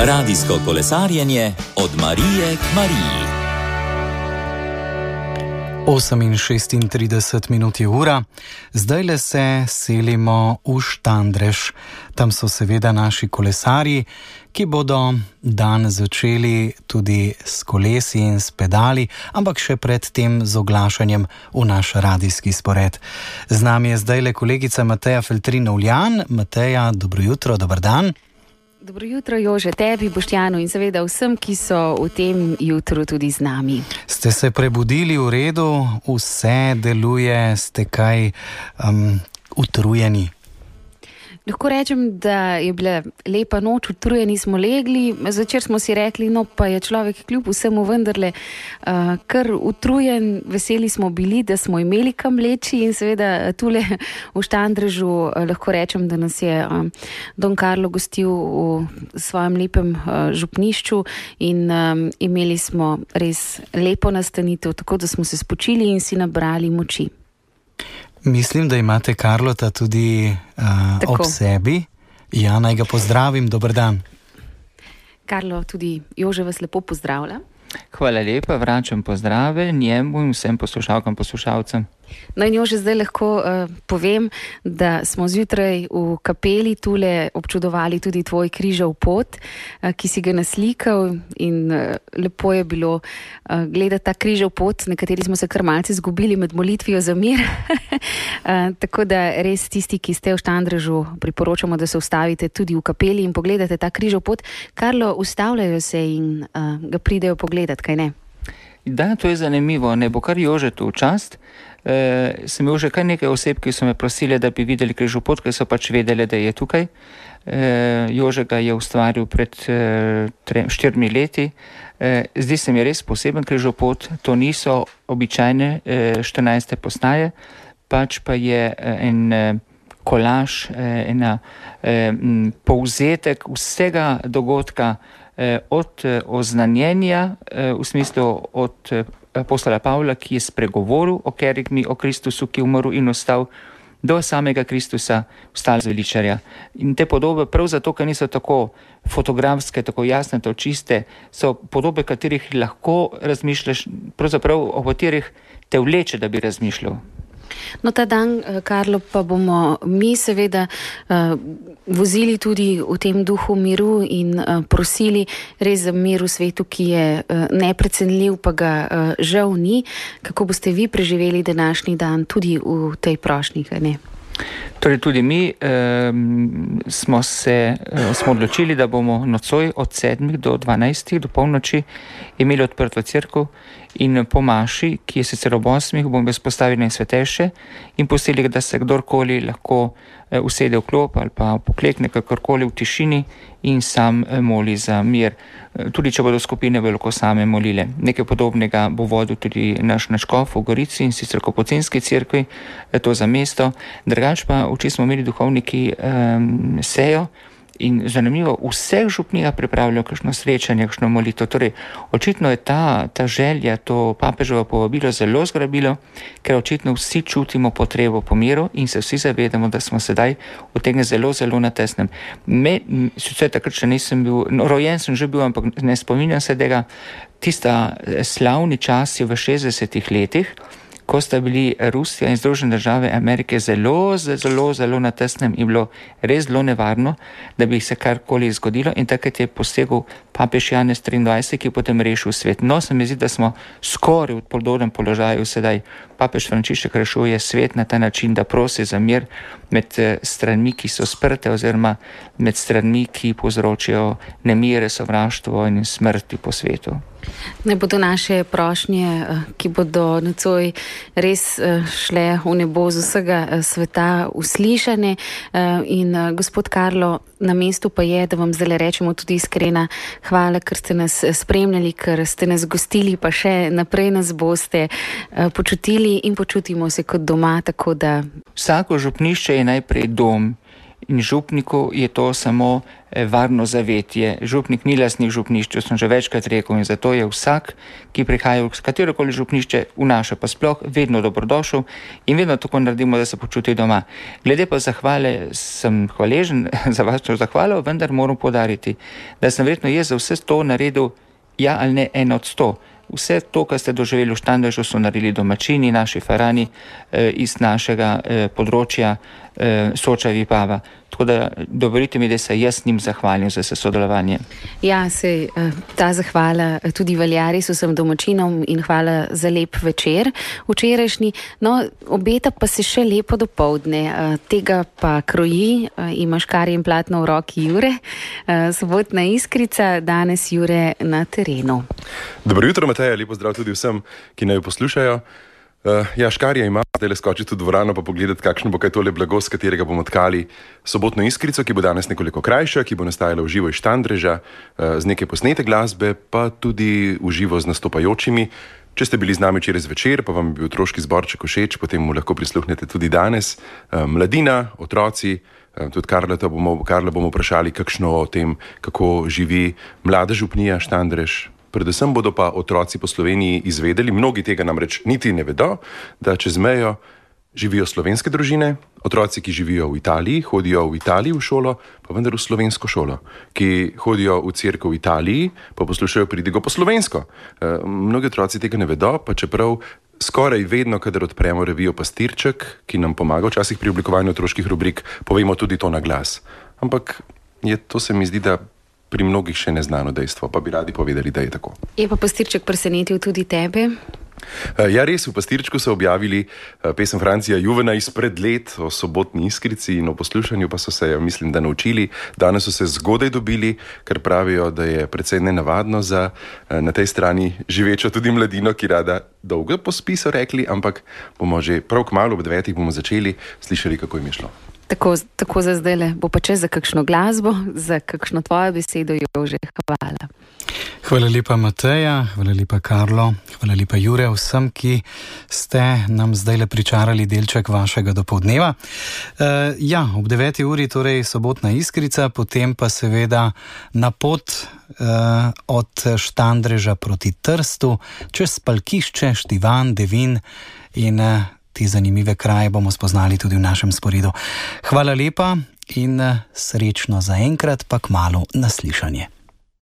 Radijsko kolesarjenje od Marije k Mariji. 8:36 je ura, zdajle se selimo v Štandrež. Tam so seveda naši kolesarji, ki bodo dan začeli tudi s kolesi in s pedali, ampak še predtem z oglašanjem v naš radijski spored. Z nami je zdajle kolegica Mateja Feltrin-Uljan. Mateja, dobro jutro, dober dan. Dobro jutro, Jože, tebi, Boštjanu in seveda vsem, ki so v tem jutru tudi z nami. Ste se prebudili v redu, vse deluje, ste kaj utrujeni? Lahko rečem, da je bila lepa noč, utrujeni smo legli, zvečer smo si rekli, no pa je človek kljub vsemu vendarle kar utrujen, veseli smo bili, da smo imeli kam leči in seveda tule v Štandrežu lahko rečem, da nas je Don Karlo gostil v svojem lepem župnišču in imeli smo res lepo nastanitev, tako da smo se spočili in si nabrali moči. Mislim, da imate Karlota tudi ob sebi. Ja, naj ga pozdravim, dober dan. Karlo, tudi Jože vas lepo pozdravlja. Hvala lepa, vračam pozdrave njemu in vsem poslušalkam, poslušalcem. No in Jože, zdaj lahko povem, da smo zjutraj v kapeli tule občudovali tudi tvoj križev pot, ki si ga naslikal in lepo je bilo gledati ta križev pot, nekateri smo se kar malce zgubili med molitvijo za mir. Tako da res tisti, ki ste v Štandrežu, priporočamo, da se ustavite tudi v kapeli in pogledate ta križev pot. Karlo, ustavljajo se in ga pridejo pogledat, kaj ne? Da, to je zanimivo, ne bo kar Jožetu v čast. Sem imel že kar nekaj oseb, ki so me prosili, da bi videli križev pot, ker so pač vedeli, da je tukaj. Jože ga je ustvaril pred 4 leti. Zdi se mi res poseben križev pot, to niso običajne 14. postaje, pač pa je en kolaž, ena povzetek vsega dogodka, od oznanjenja, v smislu od apostola Pavla, ki je spregovoril o kerigmi, o Kristusu, ki je umrl in ostal, do samega Kristusa, vstal zveličarja. In te podobe, prav zato, ker niso tako fotografske, tako jasne, tako čiste, so podobe, katerih lahko razmišljaš, pravzaprav o katerih te vleče, da bi razmišljal. No, ta dan, Karlo, pa bomo mi seveda vozili tudi v tem duhu miru in prosili res za mir v svetu, ki je neprecenljiv, pa ga žal ni. Kako boste vi preživeli današnji dan tudi v tej prošnji, ne? Torej tudi mi smo odločili, da bomo nocoj od 7 do 12 do polnoči imeli odprto cerkev in po maši, ki je sicer ob 8, bomo izpostavili najsvetejše in pustili, da se kdorkoli lahko usede v klop ali pa poklekne kakorkoli v tišini in sam moli za mir. Tudi če bodo skupine veliko same molile. Nekaj podobnega bo vodil tudi naš škof v Gorici in sicer Kapucinski cerkvi, to za mesto. Drugač pa včeraj smo imeli duhovniki sejo in zanimivo, vseh župnija pripravljajo kakšno srečanje, kakšno molitev. Torej, očitno je ta želja, to papeževo povabilo zelo zgrabilo, ker očitno vsi čutimo potrebo po miru in se vsi zavedamo, da smo sedaj v tem zelo, zelo na tesnem. Sicer takrat še nisem bil, rojen sem že bil, ampak ne spominjam se tega, tista slavni časi v 60 letih, ko sta bili Rusija in Združene države Amerike zelo, zelo, zelo na tesnem in bilo res zelo nevarno, da bi se karkoli zgodilo in takrat je posegel papež Janez 23, ki je potem rešil svet. No, se mi zdi, da smo skoraj v podobnem položaju sedaj. Papež Frančišek rešuje svet na ta način, da prosi za mir med stranmi, ki so sprte oziroma med stranmi, ki povzročajo nemire, sovraštvo in smrti po svetu. Ne bodo naše prošnje, ki bodo nocoj res šle v nebo z vsega sveta, uslišane. In gospod Karlo, na mestu pa je, da vam zdaj rečemo tudi iskrena hvala, ker ste nas spremljali, ker ste nas gostili, pa še naprej nas boste počutili in počutimo se kot doma, tako da... Vsako župnišče je najprej dom in župniku je to samo varno zavetje. Župnik ni lastnik župnišča, sem že večkrat rekel, in zato je vsak, ki prihaja v katerokoli župnišče, v naše pa sploh, vedno dobrodošel in vedno tako naredimo, da se počuti doma. Glede pa zahvale, sem hvaležen za vašo zahvalo, vendar moram poudariti, da sem verjetno jaz za vse to naredil ja ali ne 1 od 100. Vse to, kar ste doživeli v Štandrežu, so naredili domačini, naši farani iz našega področja Soča Vipava. Tako da dovolite mi, da se jaz njim zahvalim za sodelovanje. Ja, ta zahvala tudi velja res vsem domačinom in hvala za lep večer včerajšnji. No, obeta pa se še lepo dopoldne. Tega pa kroji, imaš škarje in platno v roki Jure. Sobotna Iskrica, danes Jure na terenu. Dobro jutro, Mateja, lepo zdrav tudi vsem, ki naj poslušajo. Ja, škarja ima, zdaj le skočiti v dvorano pa pogledati, kakšno bo kaj tole blago, s katerega bomo tkali sobotno Iskrico, ki bo danes nekoliko krajša, ki bo nastajala v živo iz Štandreža, z neke posnete glasbe, pa tudi v živo z nastopajočimi. Če ste bili z nami včeraj zvečer, pa vam je bil otroški zborček všeč, potem mu lahko prisluhnete tudi danes. Mladina, otroci, tudi Karla bomo vprašali, kakšno o tem, kako živi mlada župnija Štandrež. Predvsem bodo pa otroci po Sloveniji izvedeli, mnogi tega namreč niti ne vedo, da čez mejo živijo slovenske družine, otroci, ki živijo v Italiji, hodijo v Italiji v šolo, pa vendar v slovensko šolo, ki hodijo v cerkev v Italiji, pa poslušajo pridigo po slovensko. Mnogi otroci tega ne vedo, pa čeprav skoraj vedno, kadar odpremo revijo Pastirček, ki nam pomaga včasih pri oblikovanju otroških rubrik, povemo tudi to na glas. Ampak to se mi zdi, da pri mnogih še neznano dejstvo, pa bi radi povedali, da je tako. Je pa Pastirček presenetil tudi tebe? Ja, res, v Pastirčku so objavili pesem Francija Juvena izpred let o sobotni Iskrici in o poslušanju pa so se, mislim, da naučili. Danes so se zgodaj dobili, ker pravijo, da je precej nenavadno za na tej strani živečo tudi mladino, ki rada dolgo pospi, so rekli, ampak bomo že prav kmalu ob 9 bomo začeli slišali, kako jim je šlo. Tako za zdajle, bo pa čez za kakšno glasbo, za kakšno tvojo besedo, Jože, hvala. Hvala lepa, Mateja, hvala lepa, Karlo, hvala lepa, Jure, vsem, ki ste nam zdajle pričarali delček vašega dopoldneva. Ja, ob 9 uri torej sobotna Iskrica, potem pa seveda na pot od Štandreža proti Trstu, čez Palkišče, Štivan, Devin in te zanimive kraje bomo spoznali tudi v našem sporedu. Hvala lepa in srečno za enkrat, pa kmalu naslišanje.